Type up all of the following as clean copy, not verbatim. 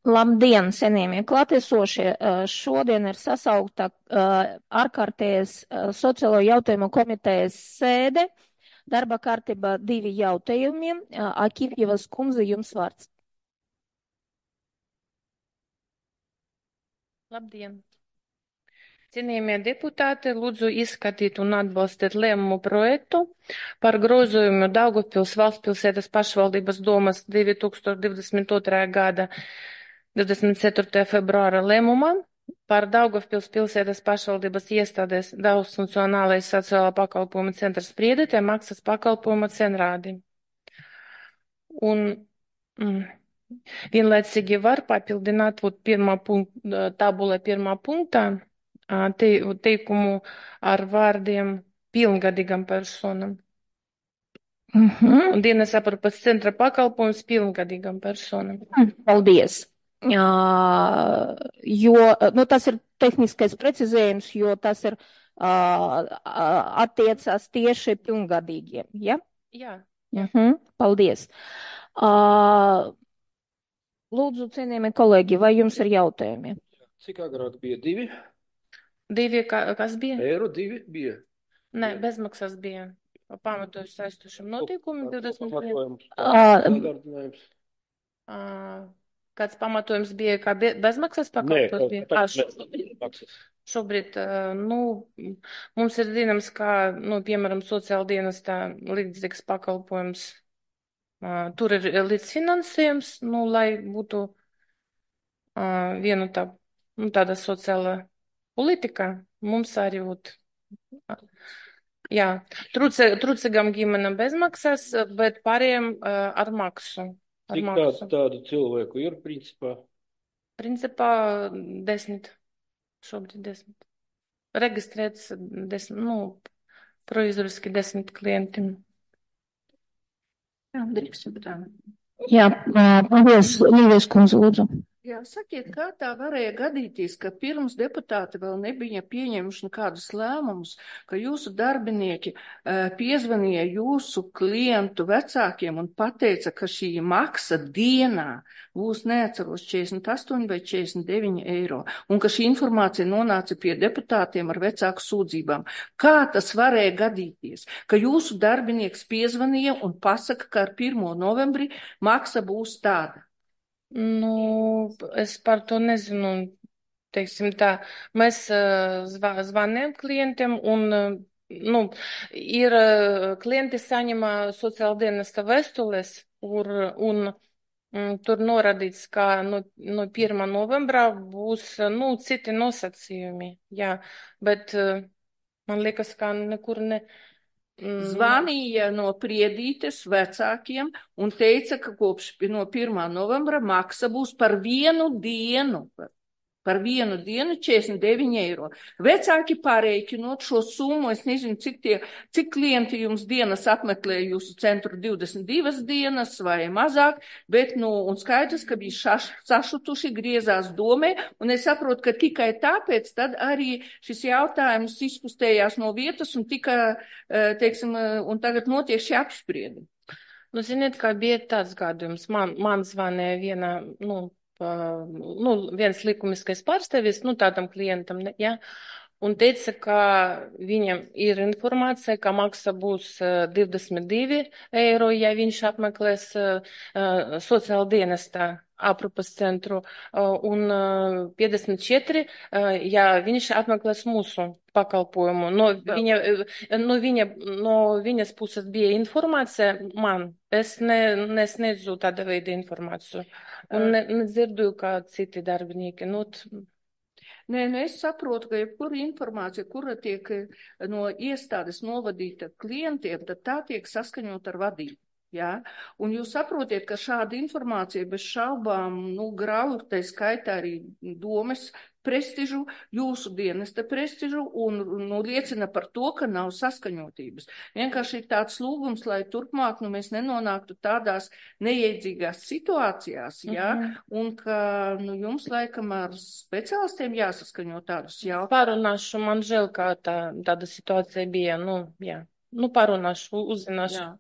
Labdien, cienījamie klātesošie! Šodien ir sasaukta ārkārtējas sociālo jautājumu komitejas sēde. Darba kārtība 2 jautājumiem. Akīvjevas kundze, jums vārds. Labdien! Cienījamie deputāti, lūdzu izskatīt un atbalstīt lēmumu projektu par grozījumu Daugavpils valstspilsētas pašvaldības domas 2022. gada 24. februāra lēmumā par Daugavpils pilsētas pašvaldības iestādes daudzfunkcionālais sociālā pakalpojuma centrs spriedētē maksas pakalpojuma cenrādi. Un vienlaicīgi var papildināt tabulē pirmā punktā teikumu ar vārdiem pilngadīgam personam. Un dienas aprūpes centra pakalpojums pilngadīgam personam. Paldies! Tas ir tehniskais precizējums, jo tas ir attiecās tieši pilngadīgiem, ja? Jā. Paldies! Lūdzu, cienījamie kolēģi, vai jums ir jautājumi? Cik agrāk bija 2? 2, kas bija? Eiro 2 bija. Nē, bezmaksas bija. Pamatojas saistošam notikumam 20. Kāds pamatojums bija, kā bezmaksas pakalpojums bija? Šobrīd, mums ir zināms, kā, piemēram, sociāla dienestā līdzīgs pakalpojums. Tur ir līdzfinansējums, lai būtu viena tāda sociāla politika. Mums arī būtu. Jā, trūcīgam ģimenam bezmaksas, bet pārējiem ar maksu. Cik tādu cilvēku ir, principā? Principā 10. Šobrīd 10. Reģistrēts 10, proizoriski 10 klientiem. Jā, drīkst tā. Jā, paldies, Līvijas kundze, lūdzu. Jā, sakiet, kā tā varēja gadīties, ka pirms deputāti vēl nebija pieņemuši nekādus lēmumus, ka jūsu darbinieki piezvanīja jūsu klientu vecākiem un pateica, ka šī maksa dienā būs neatceros 48 vai 49 eiro, un ka šī informācija nonāca pie deputātiem ar vecāku sūdzībām. Kā tas varēja gadīties, ka jūsu darbinieks piezvanīja un pasaka, ka ar 1. novembri maksa būs tāda? Es par to nezinu, teiksim tā. Mēs zvanījām klientiem un, ir klienti saņem sociāla dienesta vēstules un tur norādīts, ka no 1. novembrā būs, citi nosacījumi, jā, bet man liekas, ka nekur Zvanīja no Priedītes vecākiem un teica, ka kopš no 1. novembra maksa būs par vienu dienu 49 eiro. Vecāki pārēķinot šo summu, es nezinu, cik klienti jums dienas apmeklē jūsu centru 22 dienas vai mazāk, bet, un skaidrs, ka bija sašutuši, griezās domē, un es saprotu, ka tikai tāpēc tad arī šis jautājums izkustējās no vietas un un tagad notiek šī apspriedi. Ziniet, kā bija tāds gadījums. Man zvanīja viena, viens likumiskais pārstāvis, tādam klientam, ja, un teica, ka viņam ir informācija, ka maksa būs 22 eiro, ja viņš apmeklēs sociāla dienestā aprūpas centru, un 54, ja viņš apmeklēs mūsu pakalpojumu. No viņas puses bija informācija man. Es nesniedzu tāda veida informāciju. Un nedzirdu, kā citi darbinieki. Nē, es saprotu, ka jebkura informācija, kura tiek no iestādes novadīta klientiem, tad tā tiek saskaņot ar vadību. Jā? Un jūs saprotiet, ka šāda informācija bez šaubām, grauj, tā skaitā arī domes prestižu, jūsu dienesta prestižu un liecina par to, ka nav saskaņotības. Vienkārši ir tāds lūgums, lai turpmāk mēs nenonāktu tādās neiedzīgās situācijās, jā, un ka jums laikam ar speciālistiem jāsaskaņo tādus jautājumus. Parunāšu, man žēl, kā tāda situācija bija, jā. Parunāšu, uzzināšu. Jā.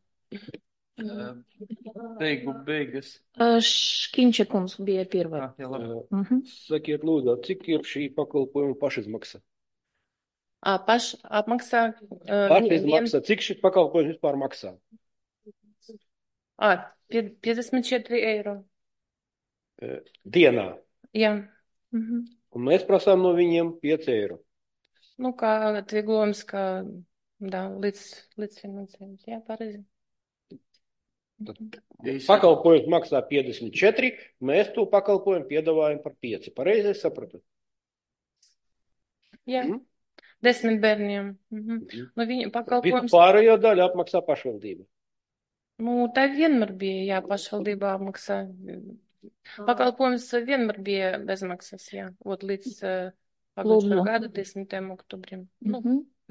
Beigas. Škiņša kungs bija pirmā. Jā, labi. Sakiet, lūdzu, cik ir šī pakalpojuma pašizmaksa? Apmaksā. Pašizmaksa, cik šis pakalpojums vispār maksā? 54 eiro. Dienā. Jā. Un mēs prasām no viņiem 5 eiro. Nu, kā atvieglojums, kā, līdz finansējums. Jā, pareizi. Pakalpojums maksā 54, mēs to pakalpojumu piedāvājam par 5. Pareizi es sapratu? Jā. 10 bērniem. Nu, viņa pakalpojums. Pārējo daļu apmaksā pašvaldība. Nu, tā vienmēr bija, jā, pašvaldībā apmaksā. Pakalpojums vienmēr bija bezmaksas, jā. Līdz pagājušā gada 10. oktobrim.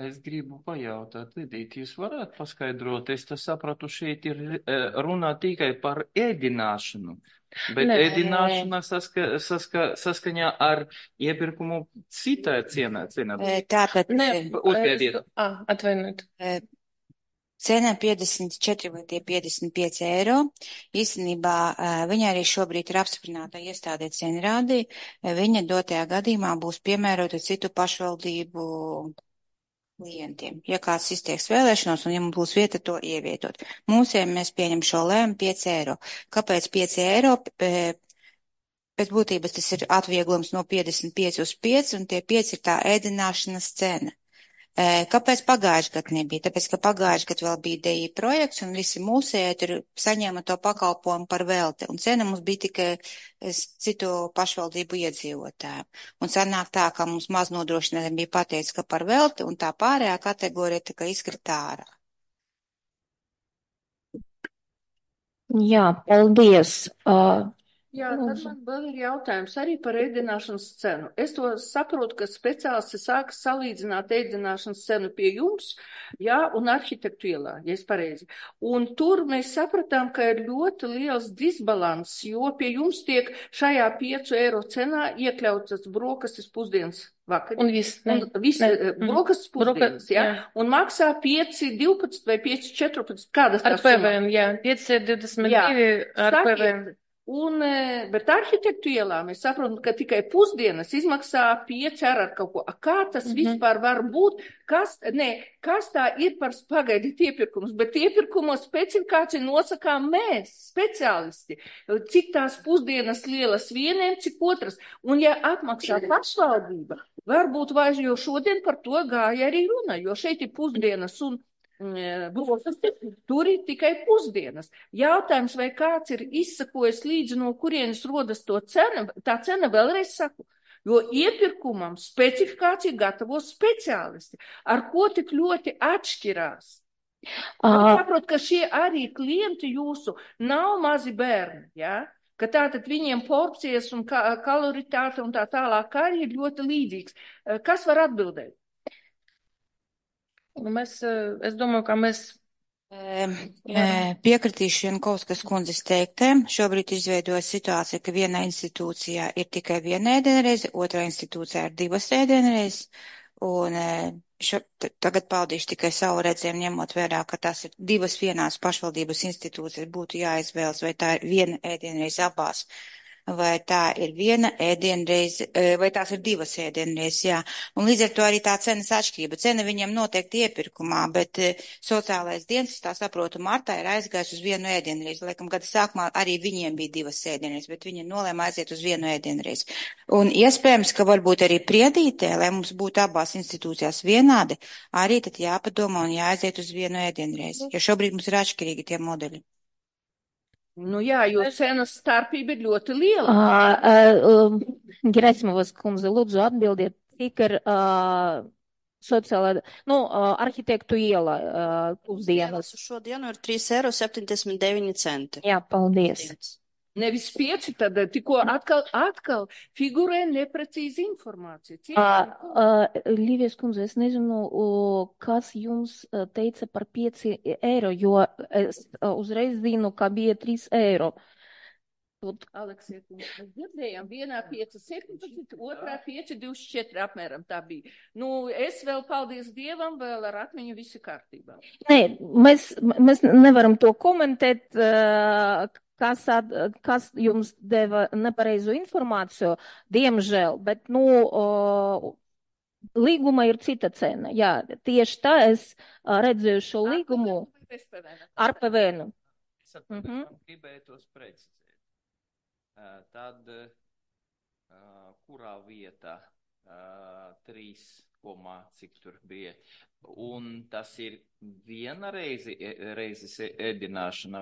Es gribu pajautāt, Lidīt, jūs varētu paskaidrot, es sapratu, šeit ir runā tikai par ēdināšanu, bet ēdināšana saskaņā ar iepirkumu citā cienā. Tātad, atvainojiet. Cena 54 vai tie 55 eiro. Īstenībā viņa arī šobrīd ir apstiprināta iestādē cenrādī. Viņa dotajā gadījumā būs piemērota citu pašvaldību klientiem. Ja kāds izteiks vēlēšanos un ja mums būs vieta to ievietot. Mūsiem mēs pieņem šo lēmu 5 eiro. Kāpēc 5 eiro? Pēc būtības tas ir atvieglums no 55 uz 5 un tie 5 ir tā ēdināšanas cena. Kāpēc pagājuši gadu nebija? Tāpēc, ka pagājuši gadu vēl bija DI projekts un visi mūsēji tur saņēma to pakalpojumu par velti. Un cena mums bija tikai citu pašvaldību iedzīvotājiem. Un sanāk tā, ka mums maz nodrošinātiem bija pateicis, ka par velti un tā pārējā kategorija tā kā izkrita ārā. Jā, paldies. Jā, tad man vēl ir jautājums arī par ēdināšanas cenu. Es to saprotu, ka speciālisti sāka salīdzināt ēdināšanas cenu pie jums, jā, un arhitektu ielā, ja es pareizi. Un tur mēs sapratām, ka ir ļoti liels disbalans, jo pie jums tiek šajā 5 eiro cenā iekļautas brokastis pusdienas vakar. Un viss, brokastis pusdienas, jā. Un maksā 5, 12 vai 5, 14, kādas ar PVN, jā, 5, 22 ar PVN. Bet arhitektu ielā mēs saprotam, ka tikai pusdienas izmaksā 5 ar kaut ko. Kā tas vispār var būt? Kas tā ir par pagaidiet iepirkumus? Bet iepirkumos specifikāciju nosakām mēs, speciālisti. Cik tās pusdienas lielas vieniem, cik otras. Un ja apmaksā pašvaldība, varbūt vairs, jo šodien par to gāja arī runa, jo šeit ir pusdienas un tur ir tikai pusdienas. Jautājums, vai kāds ir izsakojis līdzi, no kurienes rodas to cena, tā cena vēlreiz saku, jo iepirkumam specifikāciju gatavo speciālisti, ar ko tik ļoti atšķirās. Saprot, ka šie arī klienti jūsu nav mazi bērni, ja? Ka tātad viņiem porcijas un kaloritāte un tā tālāk arī ir ļoti līdzīgs. Kas var atbildēt? Es domāju, ka mēs piekritīšu Jankovskas kundzes teiktēm. Šobrīd izveidojas situācija, ka vienā institūcijā ir tikai viena ēdienreize, otrā institūcijā ir 2 ēdienreizes. Un tagad paudīšu tikai savu redzējumu, ņemot vērā, ka tās ir 2 vienās pašvaldības institūcijas, būtu jāizvēlas, vai tā ir viena ēdienreize abās. Vai tā ir viena ēdienreize, vai tās ir 2 ēdienreizes, jā. Un līdz ar to arī tā cenas atšķirība. Cena viņiem noteikti iepirkumā, bet sociālais dienas, tā saprotu, martā ir aizgājis uz 1 ēdienreizi. Laikam, gada sākumā arī viņiem bija 2 ēdienreizes, bet viņi nolēma aiziet uz 1 ēdienreizi. Un iespējams, ka varbūt arī Priedītē, lai mums būtu abās institūcijās vienādi, arī tad jāpadomā un jāaiziet uz 1 ēdienreizi, jo šobrīd mums ir atšķirīgi tie modeļi. Nu jā, jo cenas starpība ir ļoti liela. Gerasimovas kundze, lūdzu atbildiet, cik ir sociālā, arhitektu iela pusdienas. Šodienu ir 3,79 eiro. Jā, paldies. Nevis 5, tad tikko atkal figurē neprecīzi informācija. Līvijas kundze, es nezinu, kas jums teica par 5 eiro, jo es uzreiz zinu, ka bija 3 eiro. Aleksija, mēs dzirdējām, vienā 5,17, otrā 5,24 apmēram tā bija. Nu, es vēl, paldies Dievam, vēl ar atmiņu visi kārtībā. Nē, mēs nevaram to komentēt, kas jums deva nepareizu informāciju, diemžēl, bet, līguma ir cita cena. Jā, tieši tā es redzēju šo līgumu ar PVN. Gribēju tos precizēt. Tad, kurā vietā 3, cik tur bija, un tas ir viena reizes ēdināšana?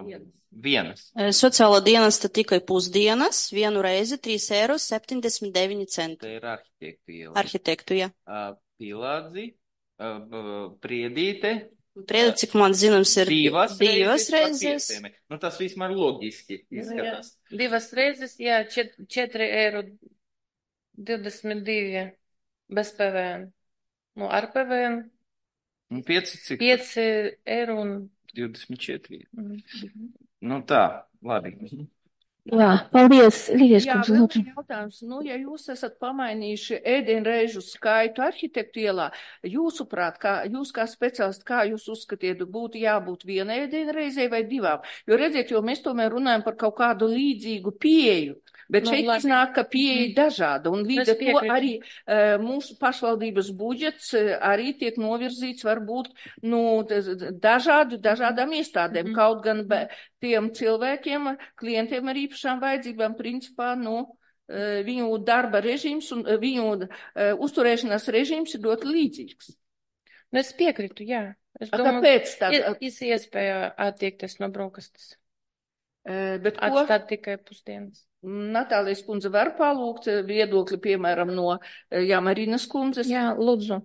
Vienas. Sociālā dienesta tikai pusdienas, vienu reizi 3,79 eiro. Tā ir arhitektu iela. Arhitektu, jā. Pilādzi, Priedīte. Priedīte, cik man zināms, ir divas reizes. Nu, tas vismaz loģiski izskatās. 2 reizes, jā, 4,22 bez PVN. Nu, ar PVN. Un 5 eiro un 24. Nu tā, labi. Jā, paldies, Līvijas Jā, kundze. vēl jautājums. Nu, ja jūs esat pamainījuši ēdienreižu skaitu arhitektu ielā, jūsuprāt, jūs kā speciālisti, kā jūs uzskatiet, būtu jābūt vienai ēdienreizei vai 2? Jo redziet, jo mēs tomēr runājam par kaut kādu līdzīgu pieeju. Bet šeit iznāk, ka pieeja ir dažāda, un līdz ar to arī mūsu pašvaldības budžets arī tiek novirzīts varbūt dažādām iestādēm, kaut gan tiem cilvēkiem, klientiem ar īpašām vajadzībām, principā, viņu darba režīms un viņu uzturēšanās režīms ir ļoti līdzīgs. Es piekritu, jā. Es domāju, kāpēc tā? Ir iespēja attiekties no brokastes. Bet ko? Atstāt tikai pusdienas. Natālijas kundze var palūgt viedokli, piemēram, no Marinas kundzes? Jā, lūdzu.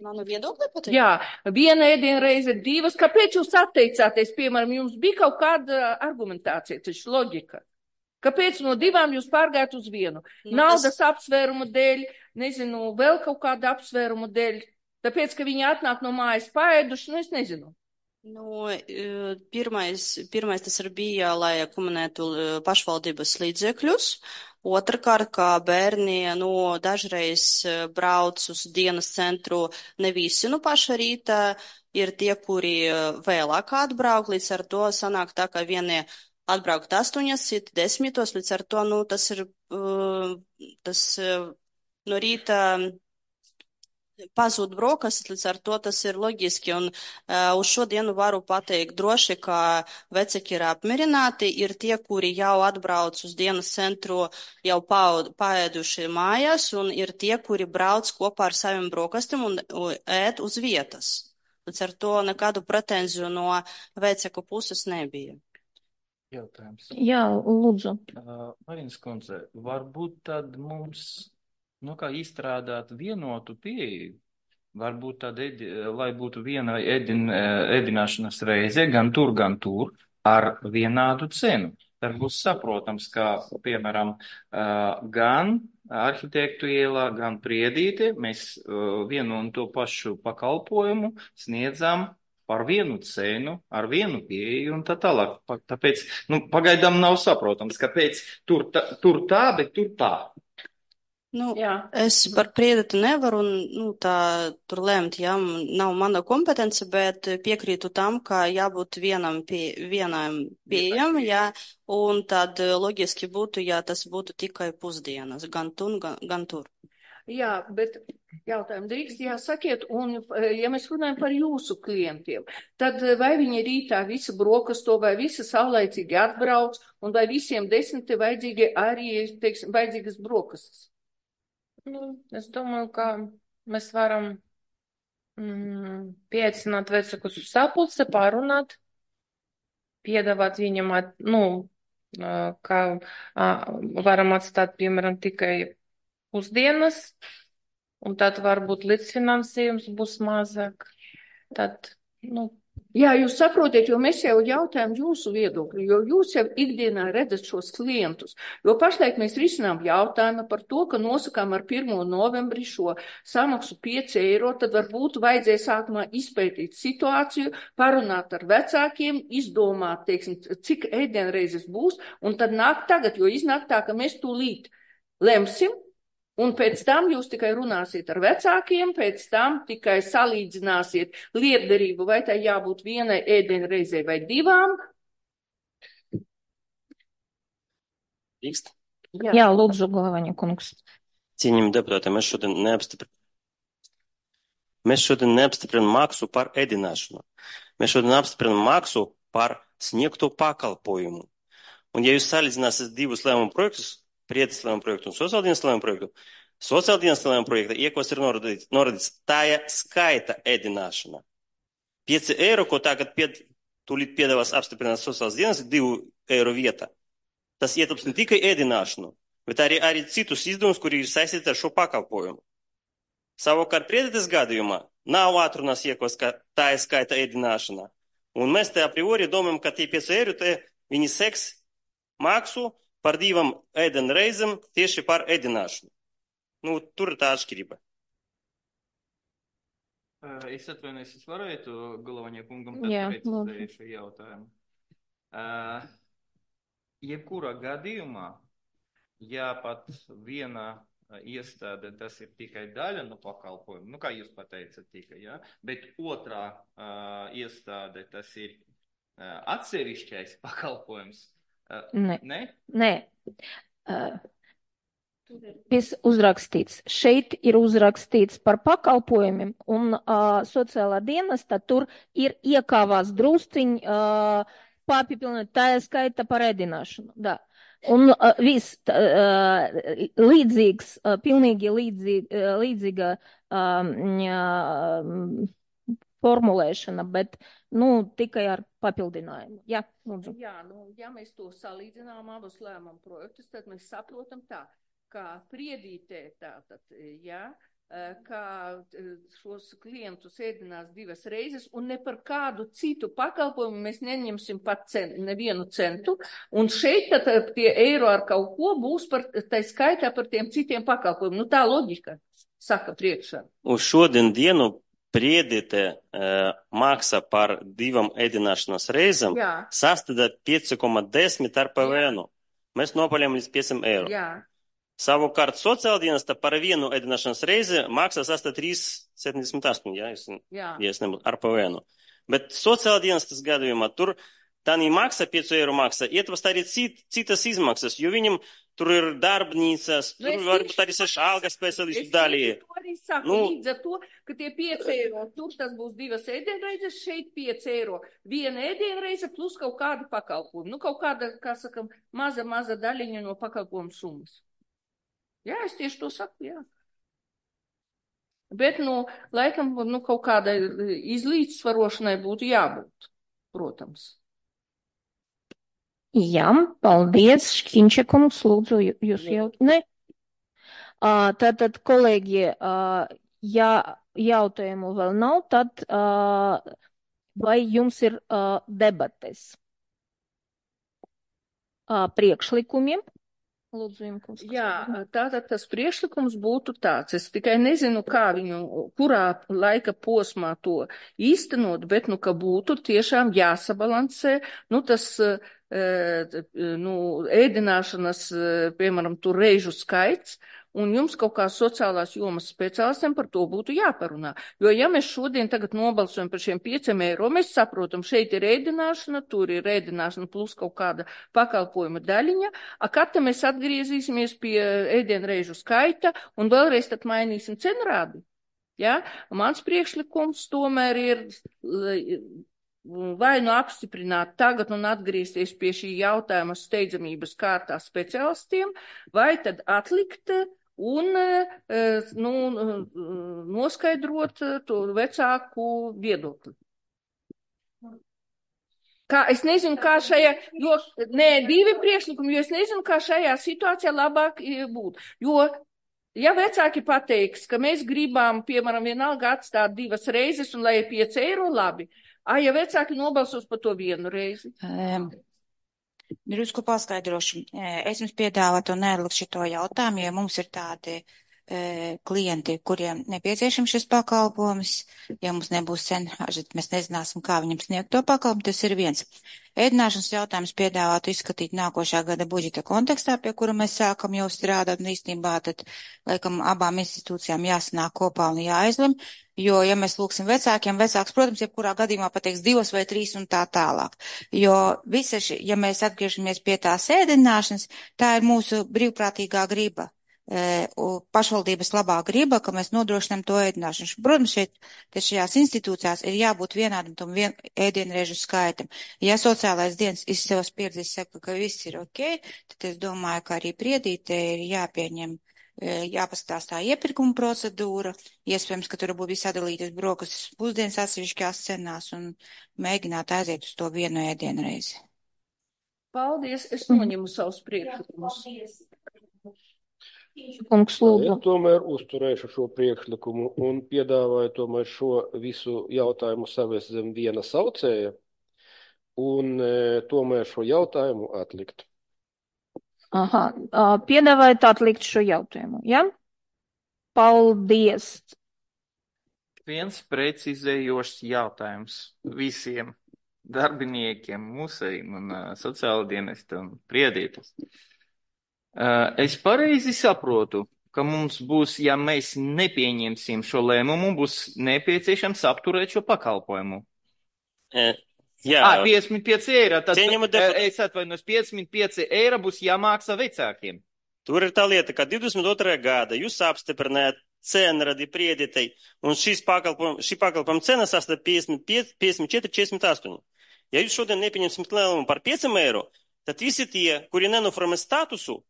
Manu viedokli pateikt? Jā, viena ēdienreize, 2. Kāpēc jūs atteicāties? Piemēram, jums bija kaut kāda argumentācija, taču loģika. Kāpēc no 2 jūs pārgājat uz 1? Naudas apsvērumu dēļ, nezinu, vēl kaut kāda apsvērumu dēļ. Tāpēc, ka viņi atnāk no mājas paēduši, es nezinu. Pirmais tas ir bija, lai komunētu pašvaldības līdzekļus. Otrakārt, kā bērni, dažreiz brauc uz dienas centru ne visi paša rīta, ir tie, kuri vēlāk atbrauk, līdz ar to sanāk tā, ka vieni atbraukt 8, citi 10, līdz ar to, tas ir, no rīta pazūd brokastis, līdz ar to tas ir loģiski, un uz šodienu varu pateikt droši, ka vecāki ir apmierināti, ir tie, kuri jau atbrauc uz dienas centru, jau paēduši mājās, un ir tie, kuri brauc kopā ar saviem brokastim un ēd uz vietas. Līdz ar to nekādu pretenziju no vecāku puses nebija. Jautājums. Jā, lūdzu. Marinas kundze, varbūt tad mums kā izstrādāt vienotu pieeju, varbūt tad, lai būtu viena ēdināšanas reize, gan tur, ar vienādu cenu. Tad būs saprotams, ka, piemēram, gan arhitektu ielā, gan Priedīte, mēs vienu un to pašu pakalpojumu sniedzam par vienu cenu, ar vienu pieeju un tā tālāk. Tāpēc, pagaidām nav saprotams, kāpēc tur tā, bet tur tā. Es par Priedīti nevaru tur lemt, nav mana kompetence, bet piekrītu tam, ka jābūt vienam pieejam, un tad loģiski būtu, ja tas būtu tikai pusdienas, gan tur. Jā, bet jautājumu drīkst, sakiet, un ja mēs runājam par jūsu klientiem, tad vai viņi rītā visi brokasto, vai visi saulaicīgi atbrauc, un vai visiem 10 vajadzīgi arī, vajadzīgas brokastas? Es domāju, ka mēs varam pieaicināt vecākus uz sapulci, pārunāt, piedāvāt viņam, ka varam atstāt, piemēram, tikai pusdienas, un tad varbūt līdzfinansējums būs mazāk. Tad, Jā, jūs saprotiet, jo mēs jau jautājam jūsu viedokli, jo jūs jau ikdienā redzat šos klientus. Jo pašlaik mēs risinām jautājumu par to, ka nosakām ar 1. novembri šo samaksu 5 eiro, tad varbūt vajadzēja sākumā izpētīt situāciju, parunāt ar vecākiem, izdomāt, teiksim, cik ēdienreizes būs, un tad nāk tagad, jo iznāk tā, ka mēs tūlīt lemsim, un pēc tam jūs tikai runāsiet ar vecākiem, pēc tam tikai salīdzināsiet lietderību, vai tai jābūt vienai ēdienreizei vai 2. Drīkst? Jā, lūdzu, Galvaņa kungs. Cienījami deputāti, mēs šodien neapstiprinām maksu par ēdināšanu. Mēs šodien apstiprinām maksu par sniegto pakalpojumu. Un ja jūs salīdzināsiet divus lēmumu projektus, Priedes lēmumu projektu un sociāldienas lēmumu projektu, sociāldienas lēmumu projekta iekos ir norādīts tāja skaita ēdināšana. 5 eiro, ko tagad tūlīt piedāvās apstiprināt sociālās dienas, 2 eiro vieta. Tas ietilps ne tikai ēdināšanu, bet arī citus izdevumus, kuri ir saistīti ar šo pakalpojumu. Savukārt Priedes gadījumā nav atrunās iekos, ka tāja skaita ēdināšana. Un mēs te a priori domājam, ka tie 5 eiro te viņi seks maksu par 2 ēdienreizēm tieši par ēdināšanu. Nu, tur ir tā atšķirība. Es atvainojos, es varētu Galvaņa kungam precizēt šo jautājumu. Jebkurā gadījumā, ja pat viena iestāde, tas ir tikai daļa no pakalpojuma, nu kā jūs pateicat tikai, ja? Bet otrā iestāde, tas ir atsevišķais pakalpojums. Nē. Uzrakstīts. Šeit ir uzrakstīts par pakalpojumiem, un sociālā dienesta tur ir iekāvās drusciņ papildināt, tā skaita par ēdināšanu. Da. Un viss līdzīgs, pilnīgi līdzīga formulēšana, bet, tikai ar papildinājumu. Jā, lūdzu. Jā, ja mēs to salīdzinām abus lēmumu projektus, tad mēs saprotam tā, kā Priedītē tātad, kā šos klientus ēdinās 2 reizes, un ne par kādu citu pakalpojumu mēs neņemsim pat nevienu centu, un šeit tad tie eiro ar kaut ko būs tai skaitā par tiem citiem pakalpojumiem. Tā loģika saka priekšā. Uz šodien dienu Priedīte maksa par 2 ēdināšanas reizēm sastāda 5,10 ar PVN. Mēs nopaļam līdz 5 eiro. Jā. Savukārt sociāldienesta par 1 ēdināšanas reizi maksa sastāda 3,78, ar PVN. Bet sociāldienestas gadījumā tur tā maksa 5 eiro maksa, ietvast arī citas izmaksas, jo viņam tur ir darbnīcas, tur varbūt arī algas speciālistu daļie. Līdz ar to, ka tie 5 eiro, tur tas būs 2 ēdienreizes, šeit 5 eiro, 1 ēdienreize plus kaut kāda pakalpojuma. Kaut kāda, kā sakam, maza daļiņa no pakalpojuma summas. Jā, es tieši to saku, jā. Bet, laikam, kaut kādai izlīdzsvarošanai būtu jābūt, protams. Jā, paldies, Škiņčekungs, lūdzu, jūs jau, ne? Tātad, kolēģi, ja jautājumu vēl nav, tad vai jums ir debates? Priekšlikumi? Lūdzu, jums. Jā, tātad tas priekšlikums būtu tāds. Es tikai nezinu, kā viņu, kurā laika posmā to īstenot, bet, ka būtu tiešām jāsabalansē, tas, ēdināšanas, piemēram, tur reižu skaits, un jums kaut kā sociālās jomas speciālistiem par to būtu jāparunā. Jo, ja mēs šodien tagad nobalsojam par šiem 5 eiro, mēs saprotam, šeit ir ēdināšana, tur ir ēdināšana plus kaut kāda pakalpojuma daļiņa, kad te mēs atgriezīsimies pie ēdienreižu skaita un vēlreiz tad mainīsim cenrādi. Ja? Mans priekšlikums tomēr ir vai apstiprināt tagad un atgriezties pie šī jautājuma steidzamības kārtā speciālistiem, vai tad atlikt un noskaidrot to vecāku viedokli. Es nezinu, kā šajā, divi priekšlikumi, jo es nezinu, kā šajā situācijā labāk būt. Jo, ja vecāki pateiks, ka mēs gribam, piemēram, vienalga atstāt 2 reizes un lai ir 5 eiro, labi. Ja vecāki nobalsos par to vienu reizi? Drusku paskaidrošu. Es jums piedāvātu neatlikt šito jautājumu, jo mums ir tādi klienti, kuriem nepieciešams šis pakalpojums. Ja mums nebūs cenāži, tad mēs nezināsim, kā viņam sniegt to pakalpojumu. Tas ir viens. Ēdināšanas jautājums piedāvātu izskatīt nākošā gada budžeta kontekstā, pie kura mēs sākam jau strādāt, un īstenībā tad, laikam, abām institūcijām jāsanāk kopā un jāizlem, jo, ja mēs lūksim vecākiem, vecāks, protams, jebkurā gadījumā pateiks 2 vai 3 un tā tālāk. Jo visa ja mēs atgriežamies pie tās ēdināšanas, tā ir mūsu brīvprātīgā griba. Pašvaldības labā griba, ka mēs nodrošinām to ēdināšanu. Protams, šajās institūcijās ir jābūt vienādam tam ēdienreižu skaitam. Ja sociālais dienas iz savas pieredzes saka, ka viss ir ok, tad es domāju, ka arī priedīte ir jāpieņem, jāpastāstā iepirkuma procedūra, iespējams, ka tur būtu sadalītas brokastis pusdienas atsevišķās cenās un mēģināt aiziet uz to vienu ēdienreizi. Paldies, es noņemu savus priekšlikumus. Kungs, lūdzu. Es tomēr uzturēšu šo priekšlikumu un piedāvāju tomēr šo visu jautājumu savest zem viena saucēja un tomēr šo jautājumu atlikt. Aha, piedāvājat atlikt šo jautājumu, ja? Paldies. Viens precizējošs jautājums visiem darbiniekiem, mūsējiem un sociāla dienesta un priedītas. Es pareizi saprotu, ka mums būs, ja mēs nepieņemsim šo lēmumu, būs nepieciešams apturēt šo pakalpojumu. Jā. 55 eiro. Tad es atvainojos, 55 eiro būs jāmaksā vecākiem. Tur ir tā lieta, ka 22. gada jūs apstiprinājāt cenradi prieditei, un šī pakalpojuma cena sastāv 54,48. Ja jūs šodien nepieņemsim lēmumu par 5 eiro, tad visi tie, kuri nenoformē statusu,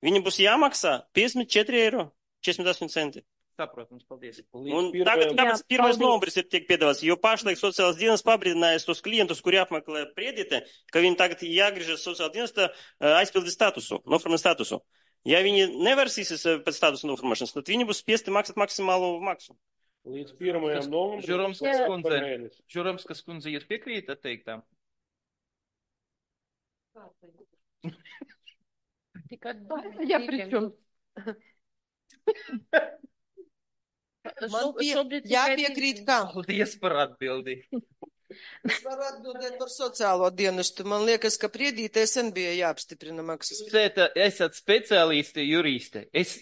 viņi būs jāmaksā 54 eiro 48 centi. Saprotams, paldies. Un tagad kāpēc 1. novembris ir tiek piedāvāts, jo pašlaik sociālās dienas pabrīdinājas tos klientus, kuri apmeklē priedite, ka viņi tagad jāgriežas sociālā dienesta aizpildi statusu, noformē statusu. Ja viņi nevarsīsies pēc statusu noformēšanas, tad viņi būs spiesti maksāt maksimālo maksu. Līdz 1. novembrim. Žuromskas kundze, jūs piekrītat teiktām? Ja, pričom? Man jāpiekrīt, kā? Paldies par atbildi. Es varu atbildēt par sociālo dienestu. Man liekas, ka priedītē sen bija jāapstiprina maksas. Esat speciālisti, juristi. Es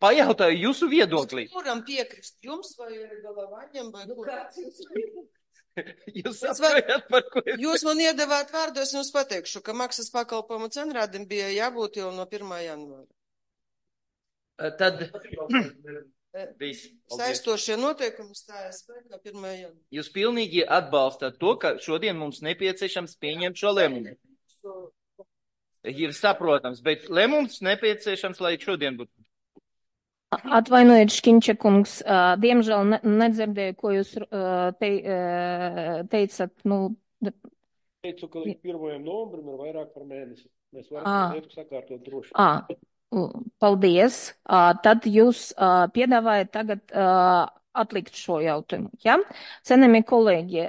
pajautāju jūsu viedoklī. Kuram piekrist? Jums vai Galavaņam vai kuram? Jūs man iedavāt vārdos, un es pateikšu, ka maksas pakalpojumu cenrādim bija jābūt jau no 1. janvāra. Tad saistošie noteikumi stājas spēkā 1. janvāra. Jūs pilnīgi atbalstat to, ka šodien mums nepieciešams pieņemt šo lēmumu. Ir saprotams, bet lēmums nepieciešams, lai šodien būtu. Atvainojiet, Škiņča kungs, diemžēl nedzirdēju, ko jūs teicat. Teicu, ka līdz 1. novembrim ir vairāk par mēnesi. Mēs varam lietu sakārtot droši. Paldies. Tad jūs piedāvājat tagad atlikt šo jautājumu, ja? Cienījamie kolēģi,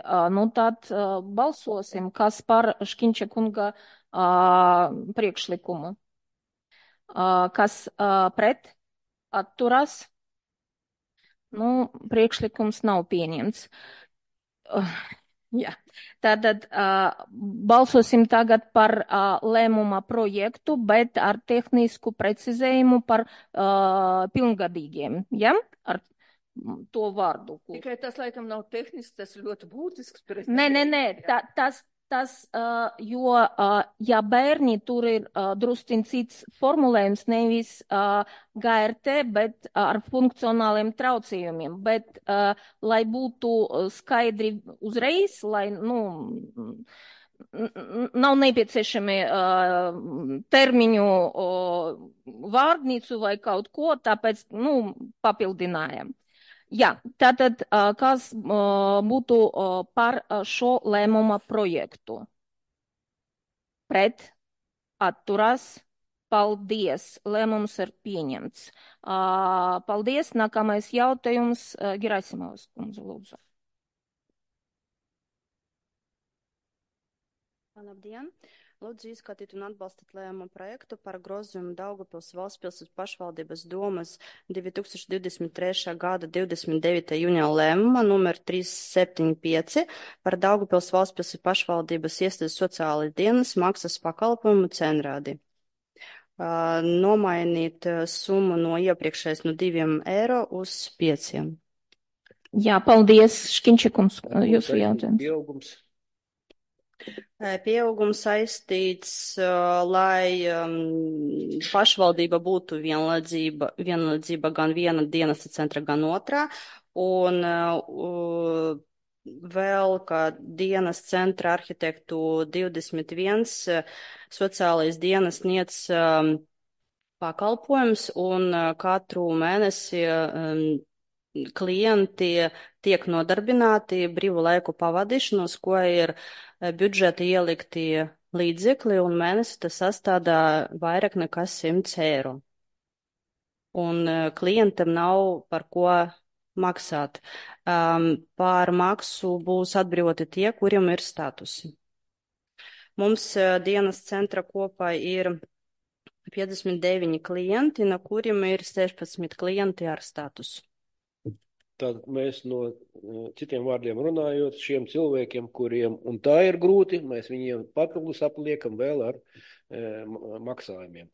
tad balsosim, kas par Škiņča kunga priekšlikumu. Kas pret? Atturās. Priekšlikums nav pieņemts. Jā. Tātad balsosim tagad par lēmuma projektu, bet ar tehnisku precizējumu par pilngadīgiem. Ja? Ar to vārdu. Tikai tas, laikam, nav tehnisks, tas ļoti būtisks. Nē, jo, ja bērni tur ir drusciņ cits formulējums, nevis GRT, bet ar funkcionāliem traucējumiem, bet lai būtu skaidri uzreiz, lai, nav nepieciešami termiņu vārdnīcu vai kaut ko, tāpēc, papildinājam. Jā, tātad, kas būtu par šo lēmuma projektu? Pret, atturās, paldies, lēmums ir pieņemts. Paldies, nākamais jautājums, Gerasimovas kundze, lūdzu. Labdien! Lūdzu izskatīt un atbalstīt lēmumu projektu par grozījumu Daugavpils valstspilsētas pašvaldības domas 2023. gada 29. jūnija lēmuma numur 375 par Daugavpils valstspilsētas pašvaldības iestādes sociālais dienas maksas pakalpojumu cenrādi. Nomainīt summu no iepriekšējais no €2 uz 5. Jā, paldies, Škinčikums, jūsu jautājums. Pieaugums. Pieaugums saistīts, lai pašvaldība būtu vienlaidzība gan viena dienas centra, gan otrā, un vēl, ka dienas centra arhitektu 21 sociālais dienas sniedz pakalpojums, un katru mēnesi klienti tiek nodarbināti brīvu laiku pavadīšanos, ko ir budžeta ielikti līdzekļi, un mēnesi tas sastādā vairāk nekā €100. Un klientam nav par ko maksāt. Par maksu būs atbrīvoti tie, kuriem ir statusi. Mums dienas centra kopā ir 59 klienti, no kuriem ir 16 klienti ar statusu. Tad mēs no citiem vārdiem runājot, šiem cilvēkiem, kuriem un tā ir grūti, mēs viņiem papildus apliekam vēl ar maksājumiem.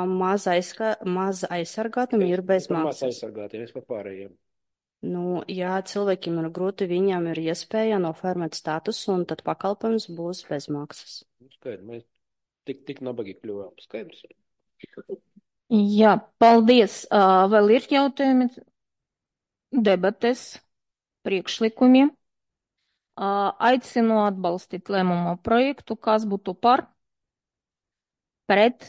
Maz aizsargātam ir bez maksas. Maz aizsargātiem, es par pārējiem. Nu, jā, cilvēkiem ir grūti, viņam ir iespēja noformēt statusu, un tad pakalpojums būs bez maksas. Skaidrs, mēs tik nabagi kļuvām. Skaidrs. Jā, paldies. Vēl ir jautājumi? Debates, priekšlikumi. Aicinu atbalstīt lēmumu projektu, kas būtu par, pret,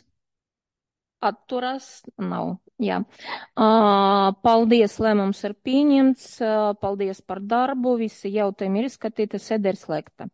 atturas, nav. Jā. Paldies, lēmums ir pieņemts. Paldies par darbu. Visi jautājumi ir izskatīti, sēde ir slēgta.